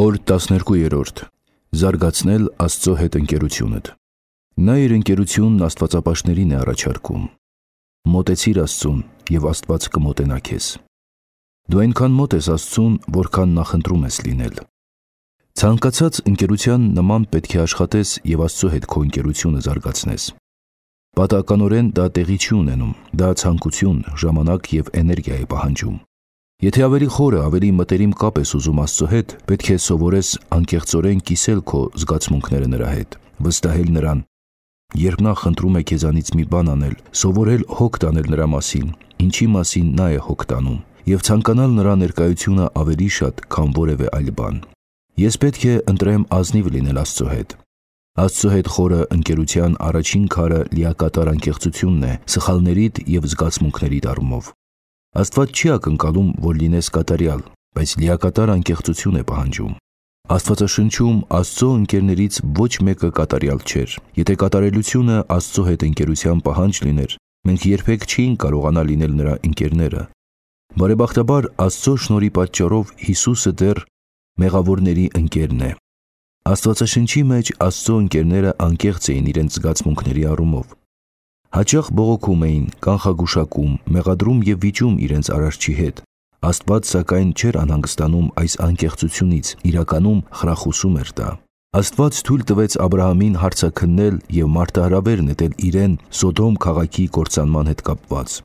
Խորհուրդ 12. Զարգացնել Աստծո հետ ընկերությունդ։ Նա իր ընկերությունն աստվածապաշտներին է առաջարկում։ Մոտեցիր Աստծուն, և Աստված կմոտենա քեզ։ Դու այնքան մոտ ես Աստծուն, որքան նախընտրում ես լինել։ Ցանկացած ընկերության նման պետք է աշխատես և Աստծո հետ քո ընկերությունը զարգացնես։ Պատահականորեն դա տեղի չի ունենում, դա ցանկություն, ժամանակ և էներգիա է պահանջում։ Եթե ավելի խորը, ավելի մտերիմ կապ ես ուզում Աստծո հետ, պետք է սովորես անկեղծորեն կիսել քո զգացմունքները նրա հետ, վստահել նրան։ Երբ նա խնդրում է քեզանից մի բան անել, սովորել հոգ տանել նրա մասին, ինչի մասին նա է հոգ տանում, և ցանկանալ նրա ներկայությունը ավելի շատ, քան որևէ այլ բան։ Ես պետք է ընտրեմ ազնիվ լինել Աստծո հետ։ Աստծո հետ խորը ընկերության առաջին քարը լիակատար անկեղծությունն է սխալներիդ և զգացմունքներիդ առումով։ Աստված չի ակնկալում, որ լինես կատարյալ, բայց լիակատար անկեղծություն է պահանջում։ Աստվածաշնչում Աստծո ընկերներից ոչ մեկը կատարյալ չէր։ Եթե կատարելությունը Աստծո հետ ընկերության պահանջ լիներ, մենք երբեք չէինք կարողանա լինել նրա ընկերները։ Բարեբախտաբար Աստծո շնորհի պատճառով Հիսուսը դեռ մեղավորների ընկերն է։ Աստվածաշնչի մեջ Աստծո ընկերները անկեղծ էին իրենց զգացմունքների առումով։ Հաճախ բողոքում էին, կանխագուշակում, մեղադրում և վիճում իրենց Արարչի հետ։ Աստված սակայն չէր անհանգստանում այս անկեղծությունից, իրականում խրախուսում էր դա։ Աստված թույլ տվեց Աբրահամին հարցաքննել և մարտահրավեր նետել իրեն Սոդոմ քաղաքի կործանման հետ կապված։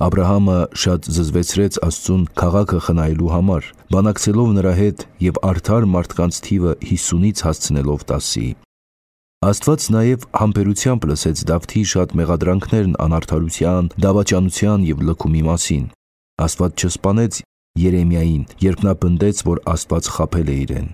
Աբրահամը շատ զզվեցրեց Աստծուն քաղաքը խնայելու համար, բանակցելով նրա հետ և արդար մարդկանց թիվը 50-ից հասցնելով 10-ի։ Աստված նաև համբերությամբ լսեց Դավթի շատ մեղադրանքներն անարդարության, դավաճանության և լքումի մասին։ Աստված չսպանեց Երեմիային, երբ նա պնդեց, որ Աստված խաբել է իրեն։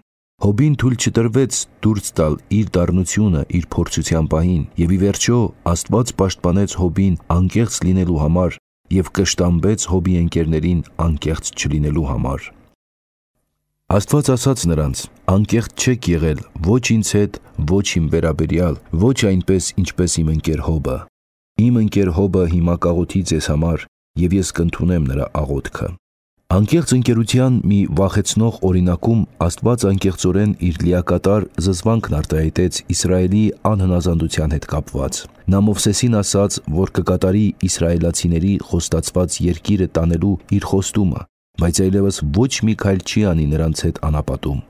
Հոբին թույլ չտրվեց դուրս տալ իր դառնությունը իր փորձության պահին, և ի վերջո Աստված պաշտպանեց Հոբին անկեղծ լինելու համար և կշտամբեց Հոբի ընկերներին անկեղծ չլինելու համար։ Աստված ասաց նրանց. «Անկեղծ չեք եղել ոչ ինձ հետ, ոչ իմ վերաբերյալ, ոչ այնպես, ինչպես իմ ընկեր Հոբը։ Իմ ընկեր Հոբը հիմա կաղոթի ձեզ համար, և ես կընդունեմ նրա աղոթքը»։ Անկեղծ ընկերության մի վախեցնող օրինակում Աստված անկեղծորեն իր լիակատար զզվանքն արտահայտեց Իսրայելի անհնազանդության հետ կապված։ Նա Մովսեսին ասաց, որ կկատարի իսրայելացիների խոստացված երկիրը տանելու իր խոստումը, բայց այլևս ոչ մի քայլ չի անի նրանց հետ անապատում։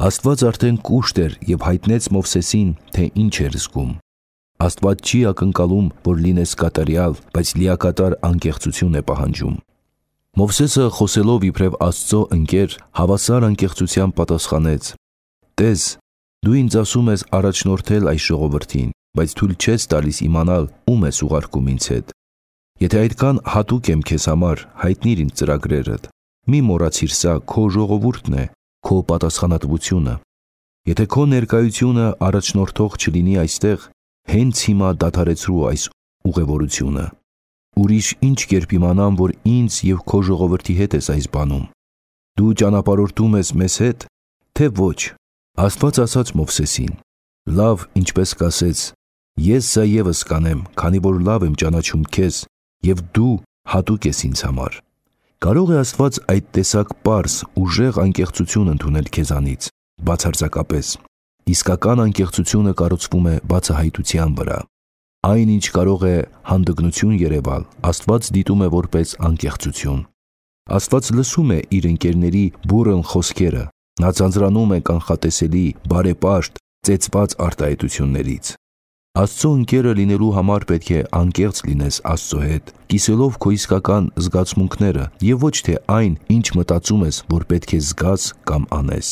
Աստված արդեն կուշտ էր և հայտնեց Մովսեսին, թե ինչ էր զգում։ Աստված չի ակնկալում, որ լինես կատարյալ, բայց լիակատար անկեղծություն է պահանջում։ Մովսեսը խոսելով իբրև Աստծո ընկեր, հավասար անկեղծությամբ պատասխանեց. «Տես, դու ինձ ասում ես առաջնորդել այս ժողովրդին, բայց թույլ չես տալիս իմանալ ում ես ուղարկում ինձ հետ։ Եթե այդքան հատուկ եմ քեզ համար, հայտնիր ինձ ծրագրերդ։ Մի մոռացիր սա քո ժողովուրդն է, քո պատասխանատվությունը։ Եթե քո ներկայությունը առաջնորդող չլինի այստեղ, հենց հիմա դադարեցրու այս ուղևորությունը։ Ուրիշ ինչ կերպ իմանամ, որ ինձ և քո ժողովրդի հետ ես այս բանում։ Դու ճանապարհորդում ես մեզ հետ, թե ոչ»։ Աստված ասաց Մովսեսին. «Լավ, ինչպես կասես, ես սա ևս կանեմ, քանի որ լավ եմ ճանաչում քեզ, և դու հատուկ ես ինձ համար»։ Կարո՞ղ է Աստված այդ տեսակ պարզ, ուժեղ անկեղծություն ընդունել քեզանից, բացարձակապես։ Իսկական անկեղծությունը կառուցվում է բացահայտության վրա։ Այն, ինչ կարող է հանդգնություն երևալ, Աստված դիտում է որպես անկեղծություն։ Աստված լսում է իր ընկերների բուռն խոսքերը։ Նա ձանձրանում է կանխատեսելի, բարեպաշտ, ծեծված արտահայտություններից։ Աստծո ընկերը լինելու համար պետք է անկեղծ լինես Աստծո հետ, կիսելով քո իսկական զգացմունքները և ոչ թե այն, ինչ մտածում ես, որ պետք է զգաս կամ անես։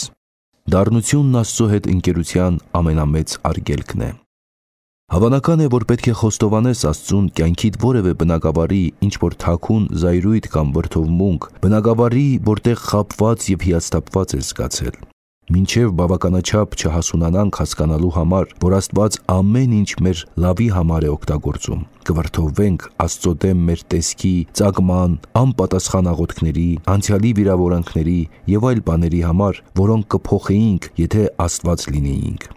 Դառնությունն Աստծո հետ ընկերության ամենամեծ արգելքն է։ Հավանական է, որ պետք է խոստովանես Աստծուն կյանքիդ որևէ բնագավառի ինչ-որ թաքուն զայրույթ կամ վրդովմունք, բնագավառի, որտեղ խաբված և հիասթափված ես զգացել։ Մինչև բավականաչափ չհասունանանք հասկանալու համար, որ Աստված ամեն ինչ մեր լավի համար է օգտագործում, կվրդովվենք Աստծո դեմ մեր տեսքի, ծագման, անպատասխան աղոթքների, անցյալի վիրավորանքների և այլ բաների համար, որոնք կփոխեինք, եթե Աստված լինեինք։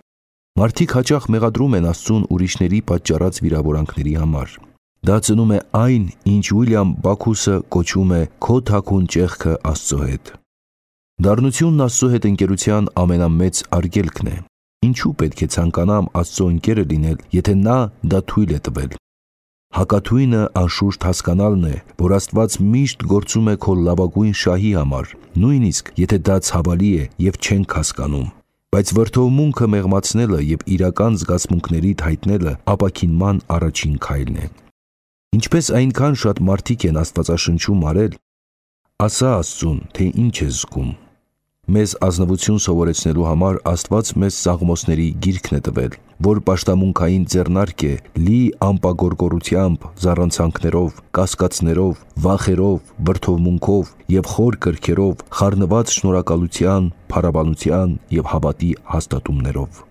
Մարդիկ հաճախ մեղադրում են Աստծուն ուրիշների պատճառած վիրավորանքների համար։ Դա ծնում է այն, ինչ Ուիլյամ Բաքուսը կոչում է «քո թաքուն ճեղքը Աստծո հետ»։ Դառնությունն Աստծո հետ ընկերության ամենամեծ արգելքն է։ Ինչու պետք է ցանկանամ Աստծո ընկերը լինել, եթե նա դա թույլ է տվել։ Հակաթույնը անշուշտ հասկանալն է, որ Աստված միշտ գործում է քո լավագույն շահի համար, նույնիսկ եթե դա ցավալի է եւ չենք հասկանում։ Բայց վրդովմունքը մեղմացնելը եւ իրական զգացմունքներիդ հայտնելը ապաքինման առաջին քայլն է։ Ինչպես այնքան շատ մարդիկ են Աստվածաշնչում արել, ասա Աստծուն, թե ինչ ես զգում։ Մեզ ազնվություն սովորեցնելու համար Աստված մեզ Սաղմոսների գիրքն է տվել, որ պաշտամունքային ձեռնարկ է, լի ամպագորգորությամբ, զառանցանքներով, կասկածներով, վախերով, վրդովմունքով եւ խոր կրքերով, խառնված շնորհակալության, փառաբանության եւ հավատի հաստատումներով։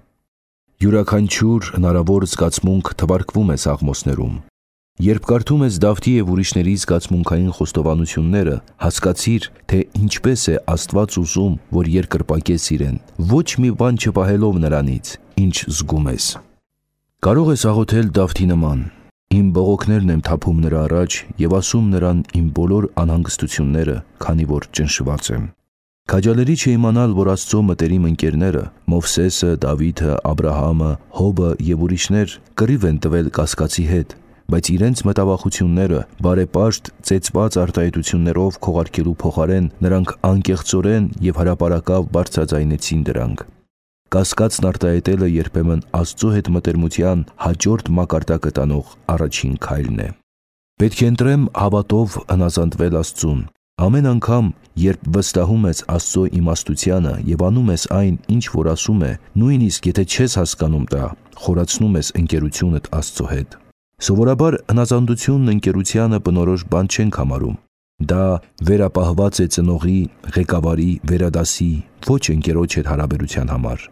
Յուրաքանչյուր հնարավոր զգացմունք թվարկվում է Սաղմոսներում։ Երբ կարդում ես Դավթի եւ ուրիշների զգացմունքային խոստովանությունները, հասկացիր, թե ինչպես է Աստված ուզում, որ երկրպագես իրեն, ոչ մի բան չպահելով նրանից, ինչ զգում ես։ Կարող ես աղոթել Դավթի նման. Իմ բողոքներն եմ թափում նրա առաջ եւ ասում նրան իմ բոլոր անհանգստությունները, քանի որ ճնշված եմ։ Քաջալերի չէ իմանալ, որ Աստծո մտերիմ ընկերները՝ Մովսեսը, Դավիթը, Աբրահամը, Հոբը եւ ուրիշներ կռիվ են տվել կասկածի հետ, բայց իրենց մտավախությունները բարեպաշտ ծեծված արտահայտություններով քողարկելու փոխարեն նրանք անկեղծորեն եւ հրապարակավ բարձրաձայնեցին դրանք։ Կասկածն արտահայտելը երբեմն Աստծո հետ մտերմության հաջորդ մակարդակը տանող առաջին քայլն է։ Պետք է ընտրեմ հավատով հնազանդվել Աստծուն։ Ամեն անգամ, երբ վստահում ես Աստծո իմաստությանը եւ անում ես այն, ինչ որ ասում է, նույնիսկ եթե չես հասկանում դա, խորացնում ես ընկերությունդ Աստծո հետ։ Սովորաբար հնազանդությունն ընկերությանը բնորոշ բան չենք համարում։ Դա վերապահված է ծնողի, ղեկավարի, վերադասի, ոչ ընկերոջ հետ հարաբերության համար։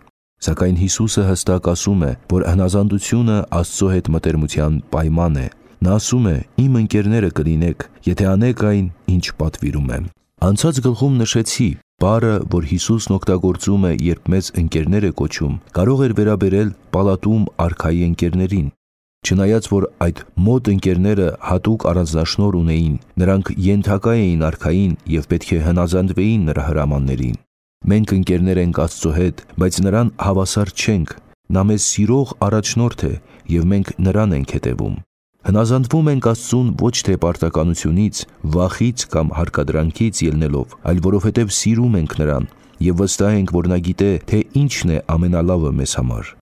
Սակայն Հիսուսը հստակ ասում է, որ հնազանդությունը Աստծո հետ մտերմության պայման է։ Նա ասում է. «Իմ ընկերները կլինեք, եթե անեք այն, ինչ պատվիրում եմ»։ Անցած գլխում նշեցի, բառը, որ Հիսուսն օգտագործում է, երբ մեզ ընկերներ է կոչում, կարող էր վերաբերել պալատում արքայի ընկերներին։ Չնայած որ այդ մոտ ընկերները հատուկ առանձնաշնորհ ունեին, նրանք ենթակա էին արքային եւ պետք է հնազանդվեին նրա հրամաններին։ Մենք ընկերներ ենք Աստծո հետ, բայց նրան հավասար չենք։ Նա մեզ սիրող առաջնորդ է եւ մենք նրան ենք հետևում։ Հնազանդվում ենք Աստծուն ոչ թե պարտականությունից, վախից կամ հարկադրանքից ելնելով, այլ որովհետև սիրում ենք նրան եւ վստահ ենք, որ նա գիտե, թե ինչն է ամենալավը մեզ համար։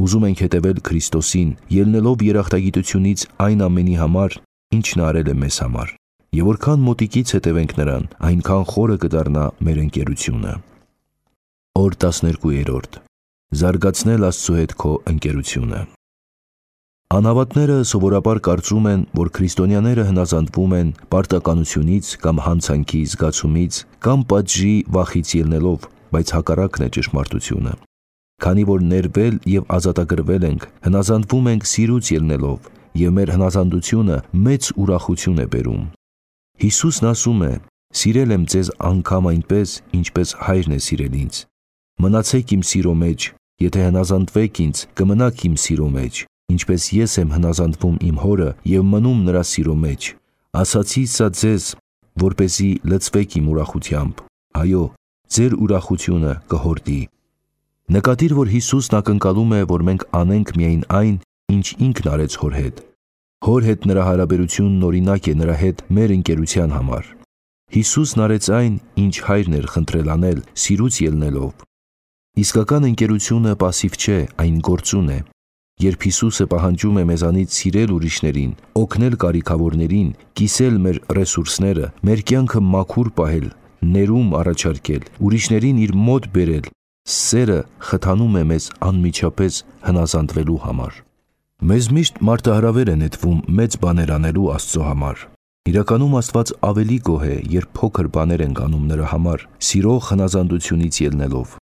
Ուզում ենք հետևել Քրիստոսին, ելնելով երախտագիտությունից այն ամենի համար, ինչն արել է մեզ համար։ Եվ որքան մոտիկից հետևենք նրան, այնքան խորը կդառնա մեր ընկերությունը։ Օր 12. Զարգացնել Աստծո հետ քո ընկերությունը։ Անհավատները սովորաբար կարծում են, որ քրիստոնյաները հնազանդվում են պարտականությունից կամ հանցանքի զգացումից կամ պատժի վախից ելնելով, բայց հակառակն է ճշմարտությունը։ Քանի որ ներվել եւ ազատագրվել ենք, հնազանդվում ենք սիրուց ելնելով, եւ մեր հնազանդությունը մեծ ուրախություն է բերում։ Հիսուսն ասում է. «Սիրել եմ ձեզ անգամ այնպես, ինչպես Հայրն է սիրել ինձ։ Մնացեք իմ սիրո մեջ, եթե հնազանդվեք ինձ, կմնաք իմ սիրո մեջ, ինչպես ես եմ հնազանդվում իմ Հորը եւ մնում նրա սիրո մեջ։ Ասացի սա ձեզ, որպեսզի լցվեք իմ ուրախությամբ։ Այո, ձեր ուրախությունը կհորդի»։ Նկատիր, որ Հիսուսն ակնկալում է, որ մենք անենք միայն այն, ինչ ինքն արեց Հոր հետ։ Հոր հետ նրա հարաբերությունն օրինակ է նրա հետ մեր ընկերության համար։ Հիսուսն արեց այն, ինչ Հայրն էր խնդրել անել, սիրուց ելնելով։ Իսկական ընկերությունը պասիվ չէ, այն գործուն է։ Երբ Հիսուսը պահանջում է մեզանից սիրել ուրիշներին, օգնել կարիքավորներին, կիսել մեր ռեսուրսները, մեր կյանքը մաքուր պահել, ներում առաջարկել, ուրիշներին իր մոտ բերել, սերը խթանում է մեզ անմիջապես հնազանդվելու համար։ Մեզ միշտ մարտահրավեր է նետվում մեծ բաներ անելու Աստծո համար։ Իրականում Աստված ավելի գոհ է, երբ փոքր բաներ ենք անում նրա համար, սիրող հնազանդությունից ելնելով։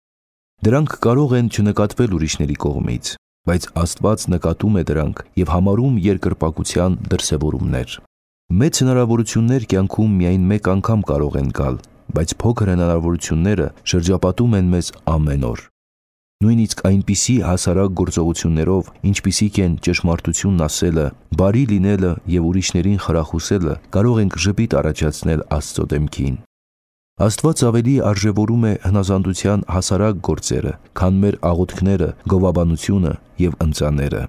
Դրանք կարող են չնկատվել ուրիշների կողմից, բայց Աստված նկատում է դրանք եւ համարում երկրպագության դրսևորումներ։ Մեծ հնարավորություններ կյանքում միայն մեկ անգամ կարող են գալ, բայց փոքր հնարավորությունները շրջապատում են մեզ ամեն օր։ Նույնիսկ այնպիսի հասարակ գործողություններով, ինչպիսիք են ճշմարտությունն ասելը, բարի լինելը եւ ուրիշներին խրախուսելը, կարող ենք ժպիտ առաջացնել Աստծո դեմքին։ Աստված ավելի արժևորում է հնազանդության հասարակ գործերը, քան մեր աղոթքները, գովաբանությունը և ընծաները։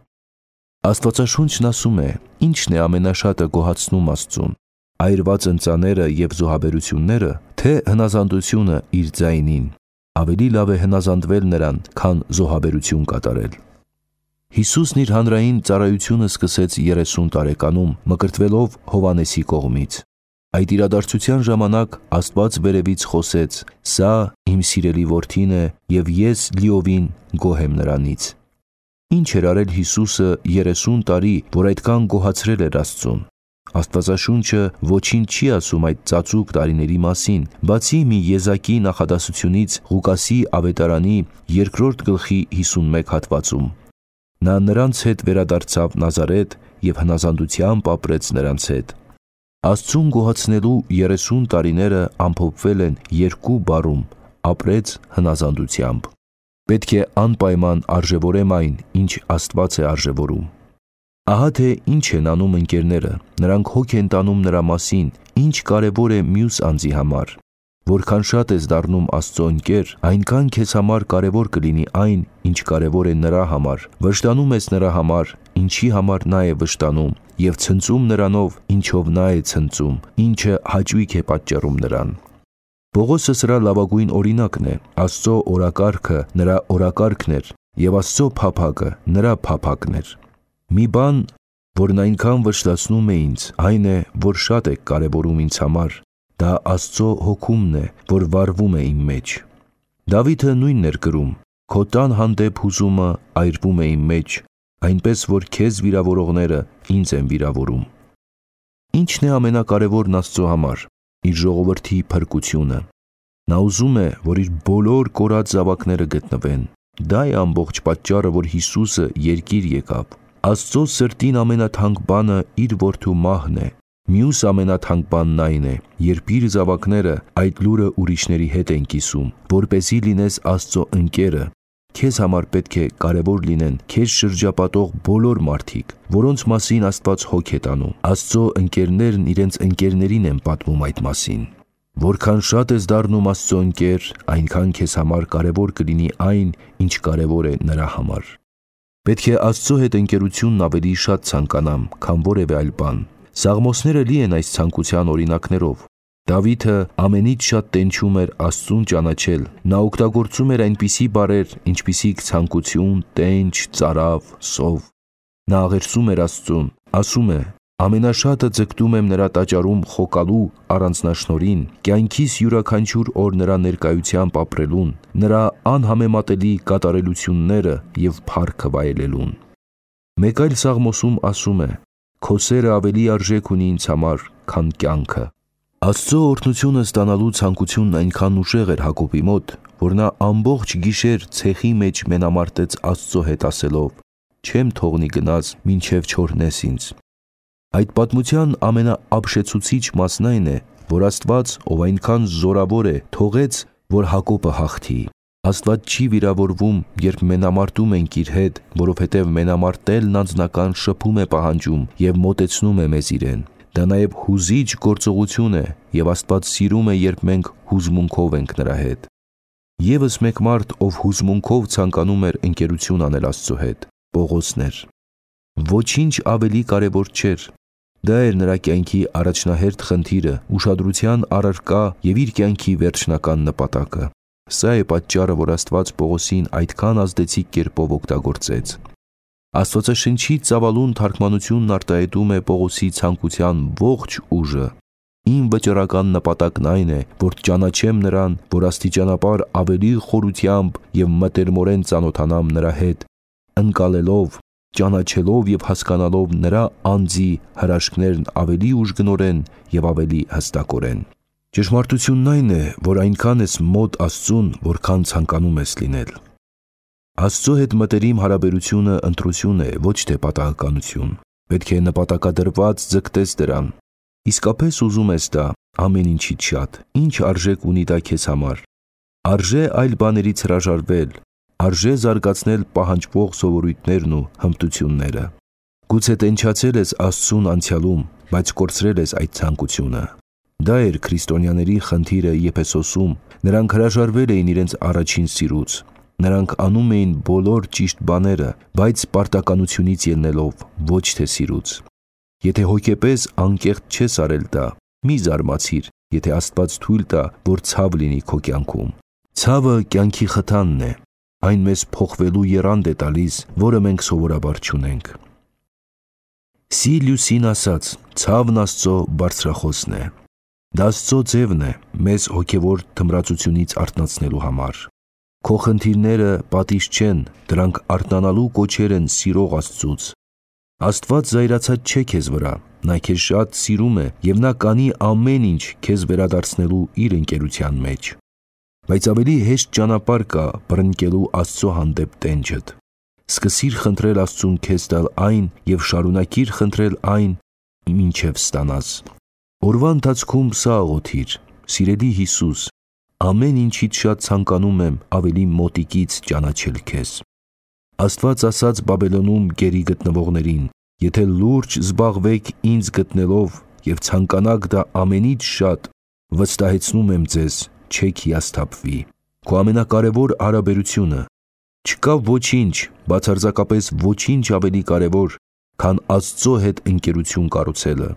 Աստվածաշունչն ասում է, ինչն է ամենաշատը գոհացնում Աստծուն, այրված ընծաները և զոհաբերությունները, թե հնազանդությունը իր ձայնին։ Ավելի լավ է հնազանդվել նրան, քան զոհաբերություն կատարել։ Հիսուսն իր հանրային ծառայությունը սկսեց 30 տարեկանում, մկրտվելով Հովհաննեսի կողմից։ Այդ իրադարձության ժամանակ Աստված վերևից խոսեց. «Սա իմ սիրելի որդին է, և ես լիովին գոհ եմ նրանից»։ Ինչ էր արել Հիսուսը 30 տարի, որ այդքան գոհացրել էր Աստծուն։ Աստվածաշունչը ոչինչ չի ասում այդ ծածուկ տարիների մասին, բացի մի եզակի նախադասությունից Ղուկասի ավետարանի 2 գլխի 51 հատվածում։ Նա նրանց հետ վերադարձավ Նազարեթ և հնազանդությամբ ապրեց նրանց հետ։ Աստծուն գոհացնելու 30 տարիները ամփոփվել են 2 բառում՝ ապրեց հնազանդությամբ։ Պետք է անպայման արժևորեմ այն, ինչ Աստված է արժևորում։ Ահա թե ինչ են անում ընկերները, նրանք հոգ են տանում նրա մասին, ինչ կարևոր է մյուս անձի համար։ Որքան շատ ես դառնում Աստծո ընկեր, այնքան քեզ համար կարևոր կլինի այն, ինչ կարևոր է նրա համար, վշտանում ես նրա համար, ինչի համար նա է վշտանում, և ցնծում նրանով, ինչով նա է ցնծում, ինչը հաճույք է պատճառում նրան։ Պողոսը սրա լավագույն օրինակն է։ Աստծո օրակարգը նրա օրակարգն էր, և Աստծո փափագը նրա փափագն էր։ Մի բան, որն այնքան վշտացնում է ինձ, այն է, որ շատ եք կարևորում ինձ համար, դա Աստծո հոգումն է, որ վառվում է իմ մեջ։ Դավիթը նույնն էր գրում. «Քո տան հանդեպ հուզումը այրվում է իմ մեջ, այնպես որ քեզ վիրավորողները ինձ են վիրավորում»։ Ինչն է ամենակարևորն Աստծո համար։ Իր ժողովրդի փրկությունը։ Նա ուզում է, որ իր բոլոր կորած զավակները գտնվեն։ Դա է ամբողջ պատճառը, որ Հիսուսը երկիր եկավ։ Աստծո սրտին ամենաթանկ բանը իր որդու մահն է։ Մյուս ամենաթանկ բանն այն է, երբ իր զավակները այդ լուրը ուրիշների հետ են կիսում, որպեսզի լինես Աստծո ընկերը։ Քեզ համար պետք է կարևոր լինեն քեզ շրջապատող բոլոր մարդիկ, որոնց մասին Աստված հոգ է տանում։ Աստծո ընկերներն իրենց ընկերներին են պատմում այդ մասին։ Որքան շատ ես դառնում Աստծո ընկեր, այնքան քեզ համար կարևոր կլինի այն, ինչ կարևոր է նրա համար։ Պետք է Աստծո հետ ընկերությունն ավելի շատ ցանկանամ, քան որևէ այլ բան։ Սաղմոսները լի են այս ցանկության օրինակներով։ Դավիթը ամենից շատ տենչում էր Աստծուն ճանաչել։ Նա օգտագործում էր այնպիսի բառեր, ինչպիսիք ցանկություն, տենչ, ծարավ, սով։ Նա աղերսում էր Աստծուն, ասում է. «Ամենաշատը ձգտում եմ նրա տաճարում խոկալու առանձնաշնորհին, կյանքիս յուրաքանչյուր օր նրա ներկայությամբ ապրելուն, նրա անհամեմատելի կատարելությունները և փառքը վայելելուն»։ Մեկ այլ սաղմոսում ասում է. «Քո սերը ավելի արժեք ունի ինձ համար, քան կյանքը»։ Աստծո օրհնությունը ստանալու ցանկությունն այնքան ուժեղ էր Հակոբի մոտ, որ նա ամբողջ գիշեր ցեխի մեջ մենամարտեց Աստծո հետ ասելով. «Չեմ թողնի գնաս, մինչև չօրհնես ինձ»։ Այդ պատմության ամենաապշեցուցիչ մասն այն է, որ Աստված, ով այնքան զորավոր է, թողեց, որ Հակոբը հաղթի։ Աստված չի վիրավորվում, երբ մենամարտում ենք իր հետ, որովհետև մենամարտելն անձնական շփում է պահանջում և մոտեցնում է մեզ իրեն։ Դա նաև հուզիչ գործողություն է, և Աստված սիրում է, երբ մենք հուզմունքով ենք նրա հետ։ Եվս մեկ մարդ, ով հուզմունքով ցանկանում էր ընկերություն անել Աստծո հետ, Պողոսն էր։ Ոչինչ ավելի կարևոր չէր։ Դա էր նրա կյանքի առաջնահերթ խնդիրը, ուշադրության առարկա և իր կյանքի վերջնական նպատակը։ Սա է պատճառը, որ Աստված Պողոսին այդքան ազդեցիկ կերպով օգտագործեց։ Աստվածաշնչի ծավալուն թարգմանությունն արտահայտում է Պողոսի ցանկության ողջ ուժը։ Իմ վճռական նպատակն այն է, որ ճանաչեմ նրան, որ աստիճանաբար ավելի խորությամբ և մտերմորեն ծանոթանամ նրա հետ, ընկալելով, ճանաչելով և հասկանալով նրա անձի հրաշքներն ավելի ուժգնորեն և ավելի հստակորեն։ Ճշմարտությունն այն է, որ այնքան ես մոտ Աստծուն, որքան ցանկանում ես լինել։ Աստծո հետ մտերիմ հարաբերությունը ընտրություն է, ոչ թե պատահականություն։ Պետք է նպատակադրված ձգտես դրան։ Իսկապես ուզում ես դա ամեն ինչից շատ, ինչ արժեք ունի դա քեզ համար։ Արժե այլ բաներից հրաժարվել, արժե զարգացնել պահանջվող սովորույթներն ու հմտությունները։ Գուցե տենչացել ես Աստծուն անցյալում, բայց կորցրել ես այդ ցանկությունը։ Դա էր քրիստոնյաների խնդիրը Եփեսոսում, նրանք հրաժարվել էին իրենց առաջին սիրուց։ Նրանք անում էին բոլոր ճիշտ բաները, բայց պարտականությունից ելնելով, ոչ թե սիրուց։ Եթե հոգեպես անկեղծ չես արել դա, մի զարմացիր, եթե Աստված թույլ տա, որ ցավ լինի քո կյանքում։ Ցավը կյանքի խթանն է, այն մեզ փոխվելու եռանդ է տալիս, որը մենք սովորաբար չունենք։ Սիլիուսին ասաց. ցավն Աստծո բարձրախոսն է։ Դա Աստծո ձևն է մեզ հոգևոր թմրածությունից արթնացնելու համար։ Քո խնդիրները պատիժ չեն, դրանք արթնանալու կոչեր են սիրող Աստծուց։ Աստված զայրացած չէ քեզ վրա, նա քեզ շատ սիրում է և նա կանի ամեն ինչ քեզ վերադարձնելու իր ընկերության մեջ։ Բայց ավելի հեշտ ճանապարհ կա բռնկելու Աստծո հանդեպ տենջդ։ Սկսիր խնդրել Աստծուն քեզ տալ այն և շարունակիր խնդրել այն, մինչև ստանաս։ Օրվա ընթացքում սա աղոթիր. «Սիրելի Հիսուս, ամեն ինչից շատ ցանկանում եմ ավելի մոտիկից ճանաչել քեզ»։ Աստված ասաց Բաբելոնում գերի գտնվողներին. «Եթե լուրջ զբաղվեք ինձ գտնելով և ցանկանաք դա ամենից շատ, վստահեցնում եմ ձեզ, չեք հիասթափվի»։ Քո ամենակարևոր հարաբերությունը։ Չկա ոչինչ, բացարձակապես ոչինչ ավելի կարևոր, քան Աստծո հետ ընկերություն կառուցելը։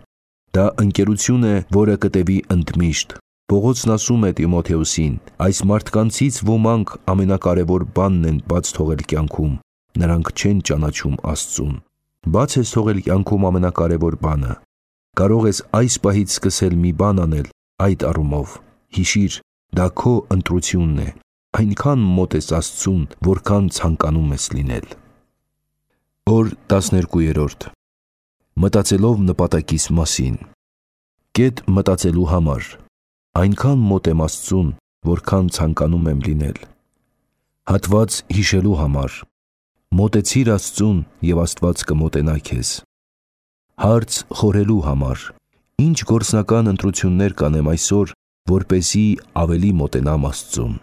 Դա ընկերություն է, որը կտևի ընդմիշտ։ Պողոսն ասում է Տիմոթեոսին. «Այս մարդկանցից ոմանք ամենակարևոր բանն են բաց թողել կյանքում, նրանք չեն ճանաչում Աստծուն»։ Բաց ես թողել կյանքում ամենակարևոր բանը։ Կարող ես այս պահից սկսել մի բան անել այդ առումով։ Հիշիր, դա քո ընտրությունն է, այնքան մոտ ես Աստծուն, որքան ցանկանում ես լինել։ Օր 12. Մտածելով նպատակիս մասին։ Կետ մտածելու համար։ Այնքան մոտ եմ Աստծուն, որքան ցանկանում եմ լինել։ Հատված հիշելու համար։ Մոտեցիր Աստծուն և Աստված կմոտենա քեզ։ Հարց խորհելու համար։ Ինչ գործնական ընտրություններ կանեմ այսօր, որպեսզի ավելի մոտենամ Աստծուն։